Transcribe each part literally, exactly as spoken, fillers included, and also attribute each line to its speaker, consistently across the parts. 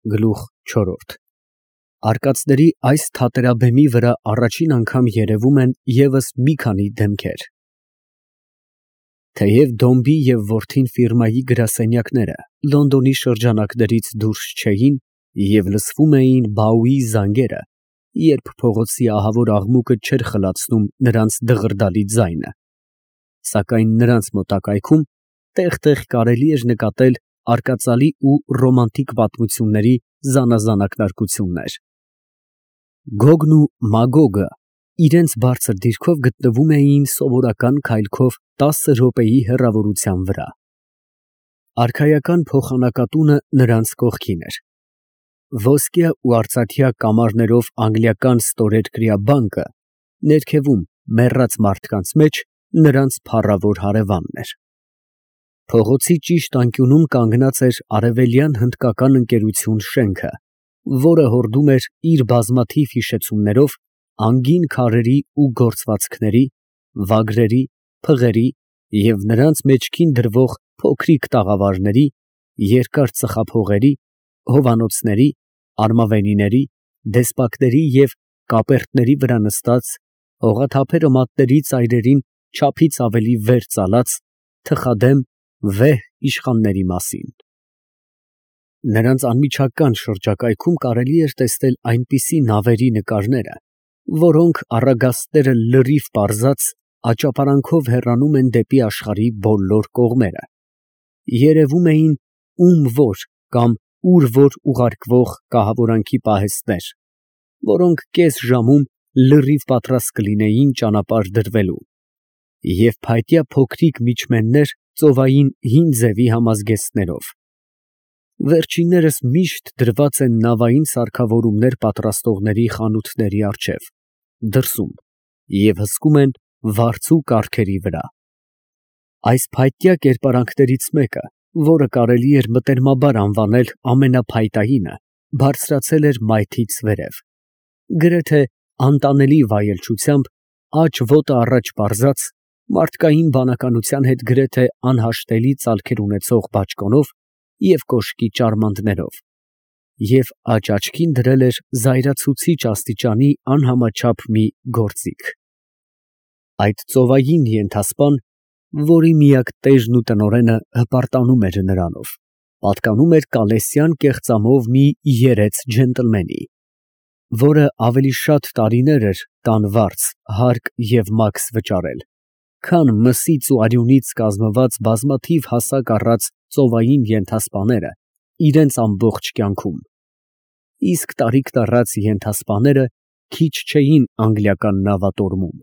Speaker 1: Գլուխ չորրորդ Արկածների այս թատերաբեմի վրա առաջին անգամ երևում են ևս մի քանի դեմքեր։ Թեև Դոմբի և որդին ֆիրմայի գրասենյակները Լոնդոնի շրջանակներից դուրս չէին և լսվում էին բաուի զանգերը, երբ փողոցի ահավոր աղմուկը չէր խլացնում նրանց դղրդալի ձայնը, սակայն նրանց մոտակայքում տեղ֊տեղ կարելի էր նկատել արկածալի ու ռոմանտիկ պատմությունների զանազան ակնարկություններ։ Գոգն ու Մագոգը իրենց բարձր դիրքով գտնվում էին սովորական քայլքով տասը րոպեի հեռավորության վրա։ Արքայական փոխանակատունը նրանց կողքին էր։ Ոսկյա ու արծաթյա կամարներով անգլիական ստորերկրյա բանկը ներքևում մեռած մարդկանց մեջ նրանց փառավոր հարևանն էր։ Փողոցի ճիշտ անկյունում կանգնած էր Արևելյան հնդկական ընկերություն շենքը, որը հորդում էր իր բազմաթիվ հիշեցումներով անգին քարերի ու գործվածքների, վագրերի, փղերի և նրանց մեջքին դրվող փոքրիկ տաղավարների, երկար ծխափողերի, հովանոցների, արմավենիների, դեսպակների և կապերտների վրա նստած, հողաթափերը մատների ծայրերին չափից ավելի վեր ծալած, թխադեմ, վեհ իշխանների մասին։ Նրանց անմիջական շրջակայքում կարելի էր տեսնել այնպիսի նավերի նկարները, որոնք, առագաստները լրիվ պարզած, աճապարանքով հեռանում են դեպի աշխարհի բոլոր կողմերը, երևում էին ում֊որ կամ ուր֊որ ուղարկվող կահավորանքի պահեստներ, որոնք կես ժամում լրիվ պատրաստ կլինեին ճանապարհ դրվելու, և փայտյա փոքրիկ միջմեններ ծովային հին ձևի համազգեստներով։ Վերջիններս միշտ դրված են նավային սարքավորումներ պատրաստողների խանութների առջև, դրսում, և հսկում են վարձու կառքերի վրա։ Այս փայտյա կերպարանքներից մեկը, որը կարելի էր մտերմաբար անվանել ամենափայտայինը, բարձրացել էր մայթից վերև, գրեթե անտանելի վայելչությամբ, աջ ոտը առաջ պարզած, մարդկային բանականության հետ գրեթե անհաշտելի ծալքեր ունեցող բաճկոնով և կոշկի ճարմանտներով, և աջ աչքին դրել էր զայրացուցիչ աստիճանի անհամաչափ մի գործիք։ Այդ ծովային ենթասպան, որի միակ տերն ու տնօրենը հպարտանում էր նրանով, պատկանում էր կալեսյան կեղծամով մի երեց ջենտլմենի, որը ավելի շատ տարիներ էր տան վարձ, հարկ և մաքս վճարել, քան մսից ու արյունից կազմված բազմաթիվ հասակ առած ծովային ենթասպաները իրենց ամբողջ կյանքում, իսկ տարիքն առած ենթասպաները քիչ չէին անգլիական նավատորմում։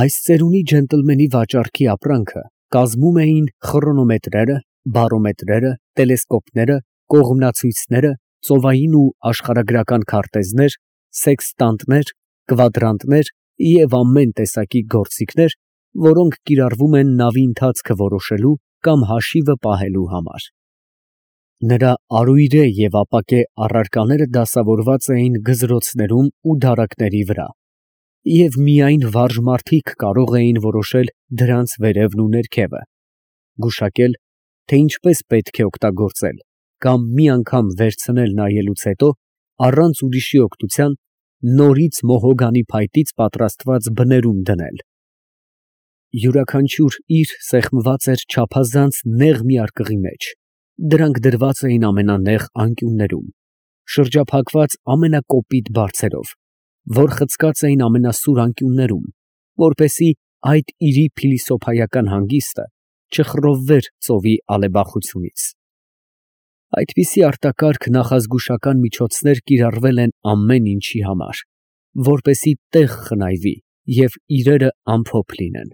Speaker 1: Այս ծերունի ջենտլմենի վաճառքի ապրանքը կազմում էին խրոնոմետրերը, բարոմետրերը, տելեսկոպները, կողմնացույցները, ծովային ու աշխարհագրական քարտեզներ, սեքստանտներ, կվադրանտներ և ամեն տեսակի գործիքներ, որոնք կիրառվում են նավի ընթացքը որոշելու կամ հաշիվը պահելու համար։ Նրա արույրե և ապակե առարկաները դասավորված էին գզրոցներում ու դարակների վրա, և միայն վարժ մարդիկ կարող էին որոշել դրանց վերևն ու ներքևը, գուշակել, թե ինչպես պետք է օգտագործել կամ մի անգամ վերցնել նայելուց հետո, առանց ուրիշի օգնության, նորից մոհոգանի փայտից պատրաստված բներում դնել։ Յուրաքանչյուր իր սեղմված էր չափազանց նեղ մի արկղի մեջ, դրանք դրված էին ամենանեղ անկյուններում, շրջափակված ամենակոպիտ բարձերով, որ խցկած էին ամենասուր անկյուններում, որպեսզի այդ իրի փիլիսոփայական հանգիստը չխռովվեր ծովի ալեբախությունից։ Այդպիսի արտակարգ նախազգուշական միջոցներ կիրառվել են ամեն ինչի համար, որպեսզի տեղ խնայվի և իրերը ամփոփ լինեն։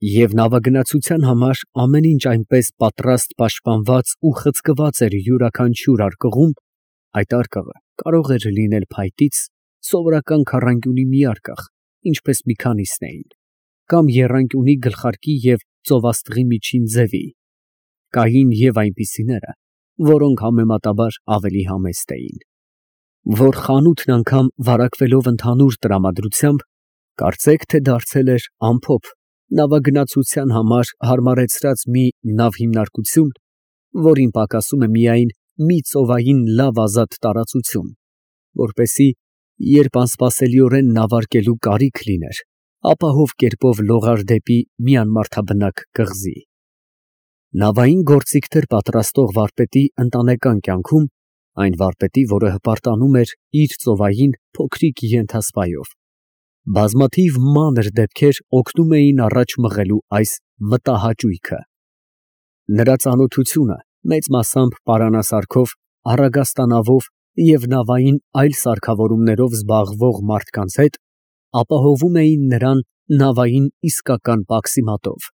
Speaker 1: Եվ նավագնացության համար ամեն ինչ այնպես պատրաստ պաշտպանված ու խցկված էր յուրաքանչյուր արկղում, այդ արկղը կարող էր լինել փայտից, սովորական քառանկյունի մի արկղ, ինչպես մի քանիսն էին, կամ եռանկյունի գլխարկի և ծովաստղի միջին ձևի, կային և այնպիսիները, որոնք համեմատաբար ավելի համեստ էին, որ խանութն անգամ վարակվելով ընդհանուր տրամադրությամբ, կարծեք թե դարձել էր ամփոփ նավագնացության համար հարմարեցրած մի նավհիմնարկություն, որին պակասում է միայն մի ծովային լավ ազատ տարածություն, որպեսզի երբ անսպասելիորեն նավարկելու կարիք լիներ, ապահով կերպով լողար դեպի մի անմարդաբնակ կղզի։ Նավային գործիքներ պատրաստող վարպետի ընտանեկան կյանքում, այն վարպետի, որը հպարտանում էր իր ծովային փոքրիկ ենթասպայով, բազմաթիվ մանր դեպքեր օգնում էին առաջ մղելու այս մտահաճույքը։ Նրա ծանոթությունը մեծ մասամբ պարանասարքով, առագաստանավով և նավային այլ սարքավորումներով զբաղվող մարդկանց հետ ապահովում էին նրան նավային իսկական պաքսիմատով,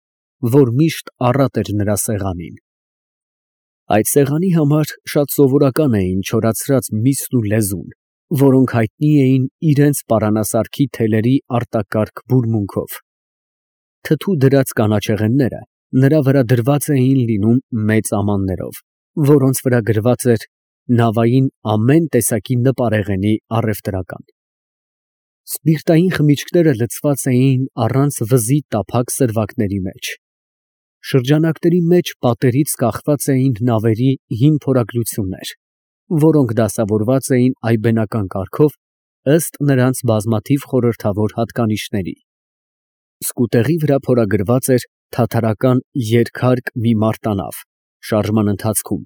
Speaker 1: որ միշտ առատ էր նրա սեղանին։ Այդ սեղանի համար շատ սովորական էին չորացրած միսն ու լեզուն, որոնք հայտնի էին իրենց պարանասարքի թելերի արտակարգ բուրմունքով։ Թթու դրած կանաչեղենները նրա վրա դրված էին լինում մեծ ամաններով, որոնց վրա գրված էր նավային ամեն տեսակի նպարեղենի առևտրական։ Սպիրտային խմիչքները լցված էին առանց վզի տափակ սրվակների մեջ։ Շրջանակների մեջ պատերից կախված էին նավերի հին փորագրություններ, որոնք դասավորված էին այբենական կարգով ըստ նրանց բազմաթիվ խորհրդավոր հատկանիշների։ Սկուտեղի վրա փորագրված էր թաթարական երկհարկ մի մարտանավ, շարժման ընթացքում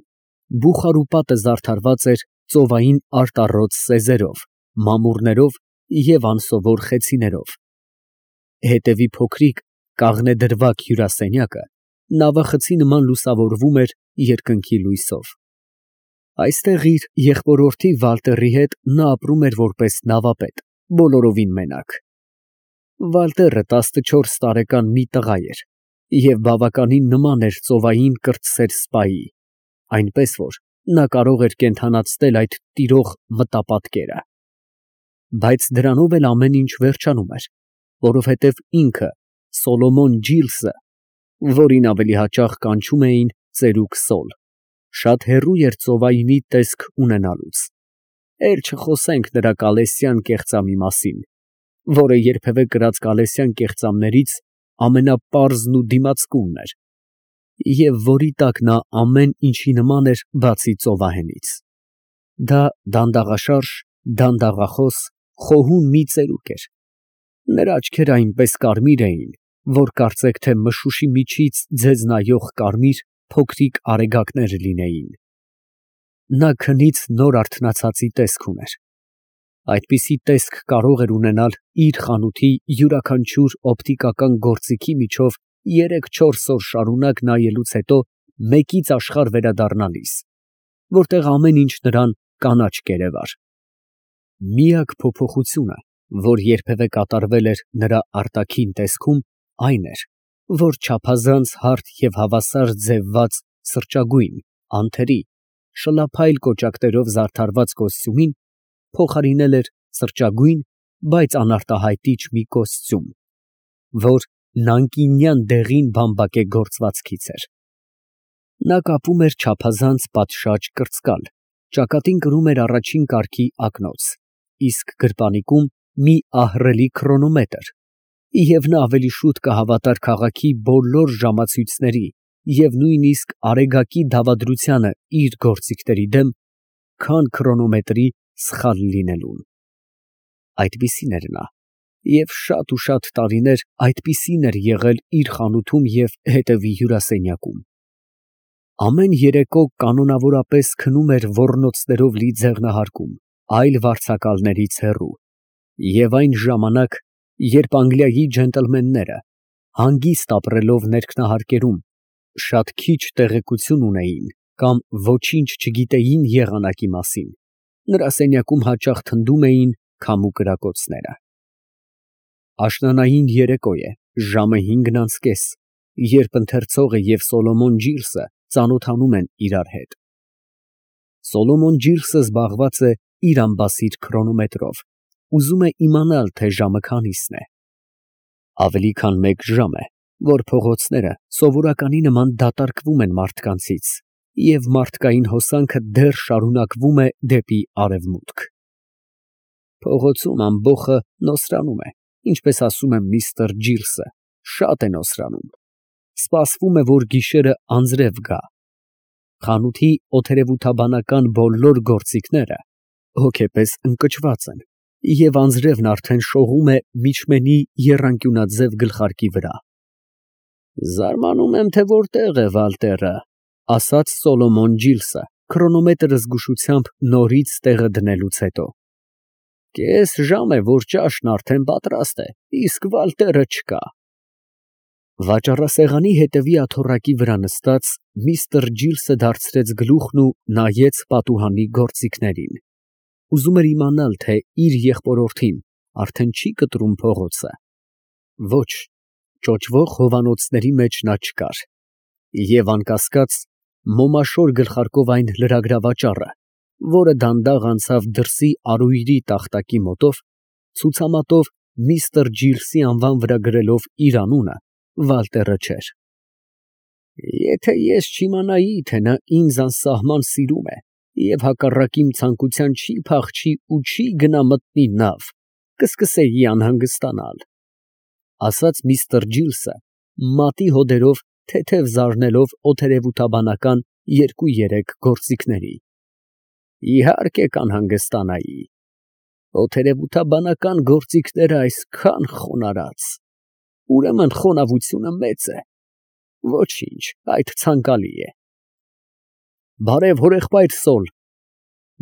Speaker 1: բուխարու պատը զարդարված էր ծովային արտառոց սեզերով, մամուռներով և անսովոր խեցիներով։ Հետևի փոքրիկ կաղնեդրվագ հյուրասենյակը նավախցի նման լուսավորվում էր երկնքի լույսով։ Այստեղ իր եղբորորդի Վալտերի հետ նա ապրում էր որպես նավապետ, բոլորովին մենակ։ Վալտերը տասնչորս տարեկան մի տղա էր և բավականին նման էր ծովային կրտսեր սպայի, այնպես որ նա կարող էր կենդանացնել այդ տիրող մտապատկերը։ Բայց դրանով էլ ամեն ինչ վերջանում էր, որովհետև ինքը Սոլոմոն Ջիլսը, որին ավելի հաճախ կանչում էին ծերուկ Սոլ, շատ հեռու էր ծովայինի տեսք ունենալուց, էլ չխոսենք նրա կալեսյան կեղծամի մասին, որը երբևէ կրած կալեսյան կեղծամներից ամենապարզն ու դիմացկունն էր, և որի տակ նա ամեն ինչի նման էր, բացի ծովահենից։ Դա դանդաղաշարժ, դանդաղախոս, խոհուն մի ծերուկ էր։ Նրա աչքերը այնպես կարմիր էին, որ կարծեք թե մշուշի միջից ձեզ նայող կարմիր փոքրիկ արեգակներ լինեին։ Նա քնից նոր արթնացածի տեսք ուներ։ Այդպիսի տեսք կարող էր ունենալ իր խանութի յուրաքանչյուր օպտիկական գործիքի միջով երեք֊չորս օր շարունակ նայելուց հետո մեկից աշխարհ վերադառնալիս, որտեղ ամեն ինչ նրան կանաչ կերևար։ Միակ փոփոխությունը, որ երբևէ կատարվել էր նրա արտաքին տեսքում, այն էր, որ չափազանց հարթ և հավասար ձևված սրճագույն, անթերի, շլափայլ կոճակներով զարդարված կոստյումին փոխարինել էր սրճագույն, բայց անարտահայտիչ մի կոստյում, որ նանկինյան դեղին բամբակե գործվածքից էր։ Նա կապում էր չափազանց պատշաճ կրծկալ, ճակատին կրում էր առաջին կարգի ակնոց, իսկ գրպանիկում մի ահռելի քրոնոմետր, և նա ավելի շուտ կհավատար քաղաքի բոլոր ժամացույցների և նույնիսկ արեգակի դավադրությանը իր գործիքների դեմ, քան քրոնոմետրի սխալ լինելուն։ Այդպիսին էր նա, և շատ ու շատ տարիներ այդպիսին էր եղել իր խանութում և հետևի հյուրասենյակում։ Ամեն երեկո կանոնավորապես քնում էր ոռնոցներով լի ձեղնահարկում, այլ վարձակալներից հեռու, և այն ժամանակ, երբ Անգլիայի ջենտլմենները, հանգիստ ապրելով ներքնահարկերում, շատ քիչ տեղեկություն ունեին կամ ոչինչ չգիտեին եղանակի մասին, նրա սենյակում հաճախ թնդում էին քամու կրակոցները։ Աշնանային երեկո է, ժամը հինգն անց կես, երբ ընթերցողը և Սոլոմոն Ջիրսը ծանոթանում են իրար հետ։ Սոլոմոն Ջիրսը զբաղված է իր ամբասիր քրոնոմետրով, ուզում է իմանալ, թե ժամը քանիսն է։ Ավելի քան մեկ ժամ է, որ փողոցները սովորականի նման դատարկվում են մարդկանցից, և մարդկային հոսանքը դեռ շարունակվում է դեպի արևմուտք։ Փողոցում ամբոխը նոսրանում է, ինչպես ասում է միստր Ջիրսը, շատ է նոսրանում։ Սպասվում է, որ գիշերը անձրև գա։ Խանութի օթերևութաբանական բոլոր գործիքները հոգեպես ընկճված են, և անձրևն արդեն շողում է միջմենի եռանկյունաձև գլխարկի վրա։ «Զարմանում եմ, թե որտեղ է Վալտերը», ֊ ասաց Սոլոմոն Ջիլսը, քրոնոմետրը զգուշությամբ նորից տեղը դնելուց հետո։ «Կես ժամ է, որ ճաշն արդեն պատրաստ է, իսկ Վալտերը չկա»։ Վաճառասեղանի հետևի աթոռակի վրա նստած միստր Ջիլսը դարձրեց գլուխն ու նայեց պատուհանի գործիքներին։ Ուզում էր իմանալ, թե իր եղբորորդին արդեն չի կտրում փողոցը։ Ոչ, ճոճվող հովանոցների մեջ նա չկար, և անկասկած մոմաշոր գլխարկով այն լրագրավաճառը, որը դանդաղ անցավ դրսի արույրի տախտակի մոտով, ցուցամատով միստր Ջիլսի անվան վրա գրելով իր անունը, Վալտերը չէր։ Եթե ես չիմանայի, թե նա ինձ անսահման սիրում է և հակառակ իմ ցանկության չի փախչի ու չի գնա մտնի նավ, կսկսեի անհանգստանալ, ֊ ասաց միստր Ջիլսը, մատի հոդերով թեթև զարնելով օթերևութաբանական երկու֊երեք գործիքների։ Իհարկե կանհանգստանայի, օթերևութաբանական գործիքները այսքան խոնարհած, ուրեմն խոնավությունը մեծ է։ Ոչինչ, այդ ցանկալի է։ Բարև, հորեղբայր Սոլ։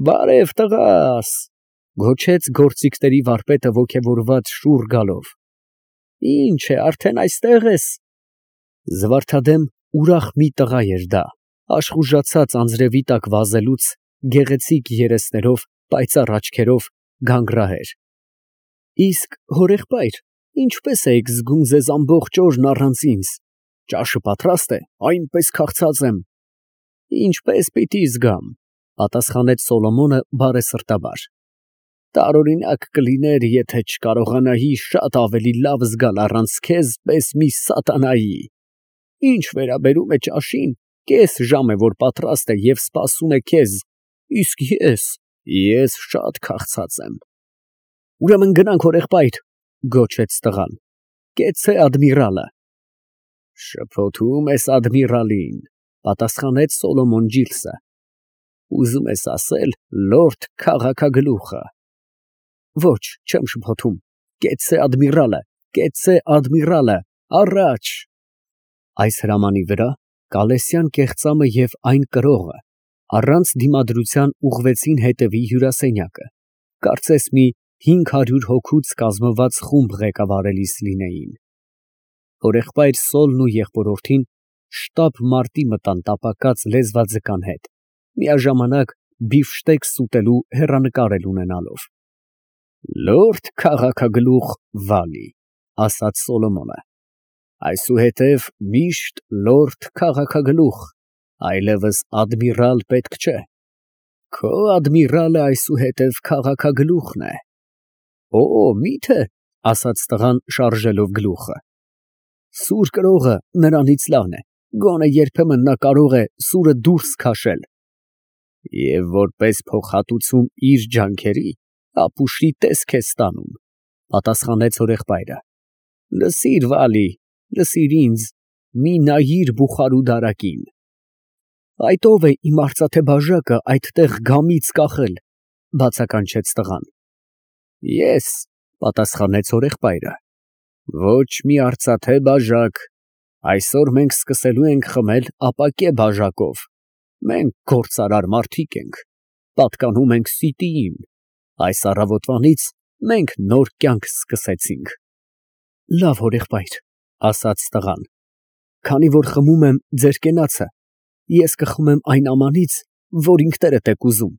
Speaker 1: Բարև, տղաս, ֊ գոչեց գործիքների վարպետը ոգևորված շուռ գալով։ Ինչ է, արդեն այստեղ ես։ Զվարթադեմ ուրախ մի տղա էր դա, աշխուժացած անձրևի տակ վազելուց, գեղեցիկ երեսներով, պայծառ աչքերով, գանգրահեր։ Իսկ, հորեղբայր, ինչպես էիք զգում ձեզ ամբողջ օրն առանց ինձ։ Ճաշը պատրաստ է, այնպես քաղցած եմ։ Ինչպես պիտի զգամ, ֊ պատասխանեց Սոլոմոնը բարեսրտաբար։ Տարօրինակ կլիներ, եթե չկարողանայի շատ ավելի լավ զգալ առանց քեզ պես մի սատանայի։ Ինչ վերաբերում է ճաշին, կես ժամ է, որ պատրաստ է և սպասում է քեզ, իսկ ես, ես շատ քաղցած եմ։ Ուրեմն գնանք, հորեղբայր, ֊ գոչեց տղան։ Կեցցե ադմիրալը։ Շփոթում ես ադմիրալին, ֊ պատասխանեց Սոլոմոն Ջիլսը։ Ուզում ես ասել լորդ քաղաքագլուխը։ Ոչ, չեմ շփոթում, կեցցե ադմիրալը, կեցցե ադմիրալը, առաջ։ Այս հրամանի վրա Կալեսյան կեղծամը և այն կրողը առանց դիմադրության ուղղվեցին հետևի հյուրասենյակը, կարծես մի հինգ հարյուր հոգուց կազմված խումբ ղեկավարելիս լինեին։ Հորեղբայր Սոլն ու եղբորորդին շտապ մարտի մտան տապակած լեզվաձկան հետ, միաժամանակ բիֆշտեկս ուտելու հեռանկար էլ ունենալով։ Լորդ քաղաքագլուխ Վալի, ֊ ասաց Սոլոմոնը, այսուհետև միշտ լորդ քաղաքագլուխ, այլևս ադմիրալ պետք չէ։ Քո ադմիրալը այսուհետև քաղաքագլուխն է։ Օ, մի՞թե, ֊ ասաց տղան շարժելով գլուխը։ Սուր կրողը նրանից լավն է, գոնե երբեմն նա կարող է սուրը դուրս քաշել։ Եվ որպես փոխհատուցում իր ջանքերի, ապուշի տեսք է ստանում, ֊ պատասխանեց հորեղբայրը։ Լսիր, Վալի, լսիր ինձ, մի նայիր բուխարու֊դարակին։ Այդ ո՞վ է իմ արծաթե բաժակը այդտեղ գամից կախել, ֊ բացականչեց տղան։ Ես, ֊ պատասխանեց հորեղբայրը։ Ոչ մի արծաթե բաժակ, այսօր մենք սկսելու ենք խմել ապակե բաժակով, մենք գործարար մարդիկ ենք, պատկանում ենք սիտիին, այս առավոտվանից մենք նոր կյանք սկսեցինք։ Լավ, հորեղբայր, ֊ ասաց տղան, քանի որ խմում եմ ձեր կենացը, ես կխմեմ այն ամանից, որ ինքներդ եք ուզում։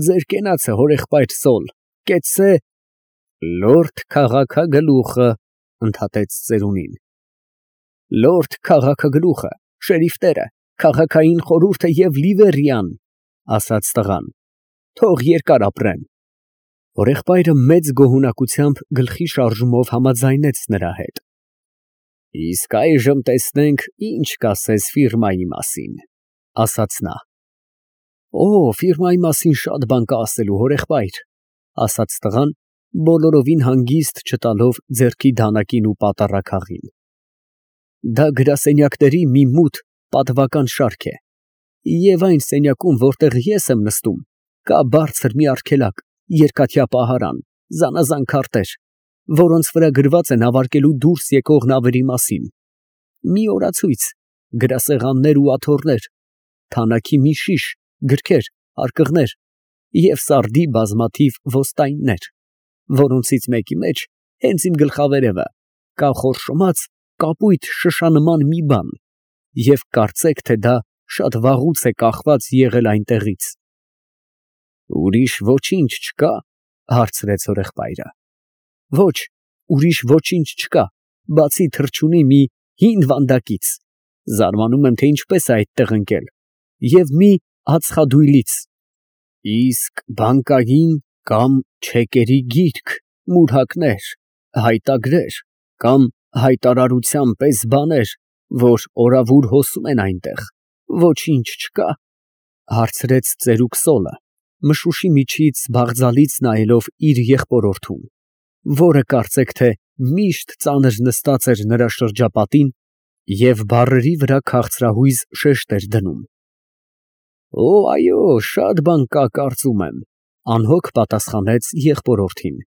Speaker 1: Ձեր կենացը, հորեղբայր Սոլ, կեցցե… Լորդ քաղաքագլուխը, ֊ ընդհատեց ծերունին։ Լորդ քաղաքագլուխը, շերիֆները, քաղաքային խորհուրդը և Լիվերիան, ֊ ասաց տղան, թող երկար ապրեն։ Հորեղբայրը մեծ գոհունակությամբ գլխի շարժումով համաձայնեց նրա հետ։ Իսկ այժմ տեսնենք, ինչ կասես ֆիրմայի մասին, ֊ ասաց նա։ Օ, ֆիրմայի մասին շատ բան կա ասելու, հորեղբայր, ֊ ասաց տղան, բոլորովին հանգիստ չտալով ձեռքի դանակին ու պատառաքաղին։ Դա գրասենյակների մի մութ պատվական շարք է, Եվ այն սենյակում, որտեղ ես եմ նստում, կա բարձր մի արգելակ, երկաթյա պահարան, զանազան քարտեր, որոնց վրա գրված է նավարկելու դուրս եկող նավերի մասին, մի օրացույց, գրասեղաններ ու աթոռներ, թանաքի մի շիշ, գրքեր, արկղներ և սարդի բազմաթիվ ոստայններ, որոնցից մեկի մեջ, հենց իմ գլխավերևը, կա խորշոմած կապույտ շշանման մի բան, և կարծեք, թե դա շատ վաղուց է կախված եղել այնտեղից։ ֊ Ուրիշ ոչինչ չկա, ֊ հարցրեց հորեղբայրը։ ֊ Ոչ, ուրիշ ոչինչ չկա, բացի թռչունի մի հին վանդակից, զարմանում եմ, թե ինչպես է այդտեղ ընկել, և մի ածխադույլից։ ֊ Իսկ բանկային կամ չեկերի գիրք, մուրհակներ, հայտագրեր կամ հայտարարության պես բաներ, որ օրավուր հոսում են այնտեղ, ոչինչ չկա, ֊ հարցրեց ծերուկ Սոլը, մշուշի միջից բաղձալից նայելով իր եղբորորդուն, որը կարծեք թե միշտ ծանր նստած էր նրա շրջապատին և բառերի վրա քաղցրահույզ շեշտ էր դնում։ ֊ Օ, այո, շատ բան կա, կարծում եմ, ֊ անհոգ պատասխանեց եղբորորդին։ ֊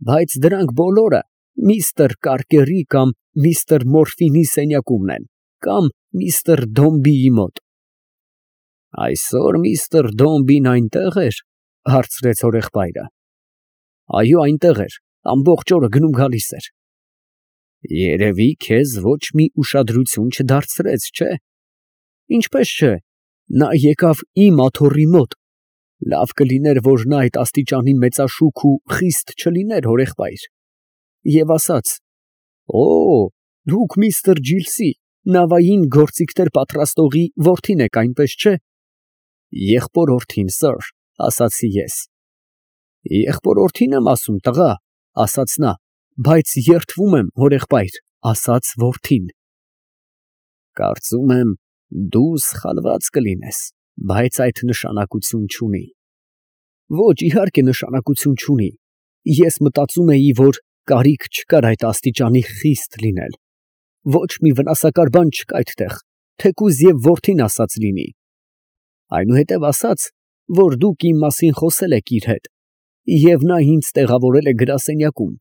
Speaker 1: Բայց դրանք բոլորը միստր Կարկերի կամ միստր Մորֆինի սենյակումն են, կամ միստր Դոմբիի մոտ։ ֊ Այսօր միստր Դոմբին այնտե՞ղ էր, ֊ հարցրեց հորեղբայրը։ ֊ Այո, այնտեղ էր, ամբողջ օրը գնում֊գալիս էր։ ֊ Երևի քեզ ոչ մի ուշադրություն չդարձրեց, չէ։ ֊ Ինչպես չէ, նա եկավ իմ աթոռի մոտ, լավ կլիներ, որ նա այդ աստիճանի մեծաշուք ու խիստ չլիներ, հորեղբայր, և ասաց. «Օ, դուք միստր Ջիլսի, նավային գործիքներ պատրաստողի որդին եք, այնպես չէ։ ֊ Եղբորորդին, սըր, ֊ ասացի ես։ ֊ Եղբորորդին եմ ասում, տղա, ֊ ասաց նա, ֊ բայց երդվում եմ, հորեղբայր, ֊ ասաց որդին։ ֊ Կարծում եմ, դու սխալված կլինես, բայց այդ նշանակություն չունի։ ֊ Ոչ, իհարկե նշանակություն չունի, ես մտածում էի, որ կարիք չկար այդ աստիճանի խիստ լինել, ոչ մի վնասակար բան չկա այդտեղ, թեկուզ և որդին ասած լինի։ Այնուհետև ասաց, որ դուք իմ մասին խոսել եք իր հետ, և նա ինձ տեղավորել է գրասենյակում,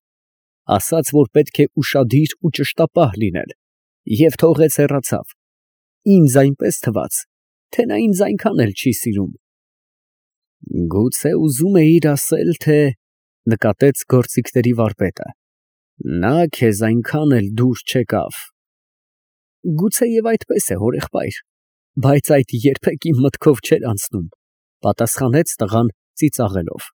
Speaker 1: ասաց, որ պետք է ուշադիր ու ճշտապահ լինել, և թողեց հեռացավ, ինձ այնպես թվաց, թե նա ինձ այնքան էլ չի սիրում։ ֊ Գուցե ուզում էիր ասել, թե, ֊ նկատեց գործիքների վարպետը, ֊ նա քեզ այնքան էլ դուր չեկավ։ ֊ Գուցեև այդպես է, հորեղբայր, բայց այդ երբեք իմ մտքով չէր անցնում, ֊ պատասխանեց տղան ծիծաղելով։